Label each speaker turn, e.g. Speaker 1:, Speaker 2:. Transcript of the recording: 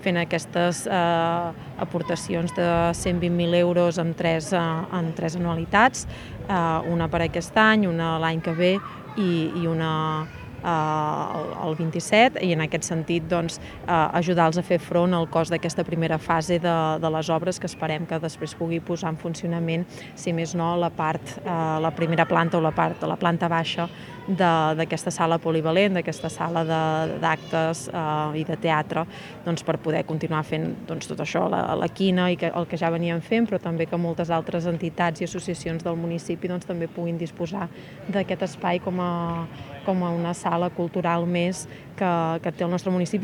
Speaker 1: fent aquestes aportacions de 120.000 euros en tres anualitats, una per aquest any, una l'any que ve i una el 27, i en aquest sentit ajudar-los a fer front al cost d'aquesta primera fase de les obres, que esperem que després pugui posar en funcionament, si més no, la primera planta o la planta baixa d'aquesta sala polivalent, d'aquesta sala d'actes i de teatre, per poder continuar fent tot això, la quina i el que ja veníem fent, però també que moltes altres entitats i associacions del municipi també puguin disposar d'aquest espai com a una sala cultural més que té el nostre municipi.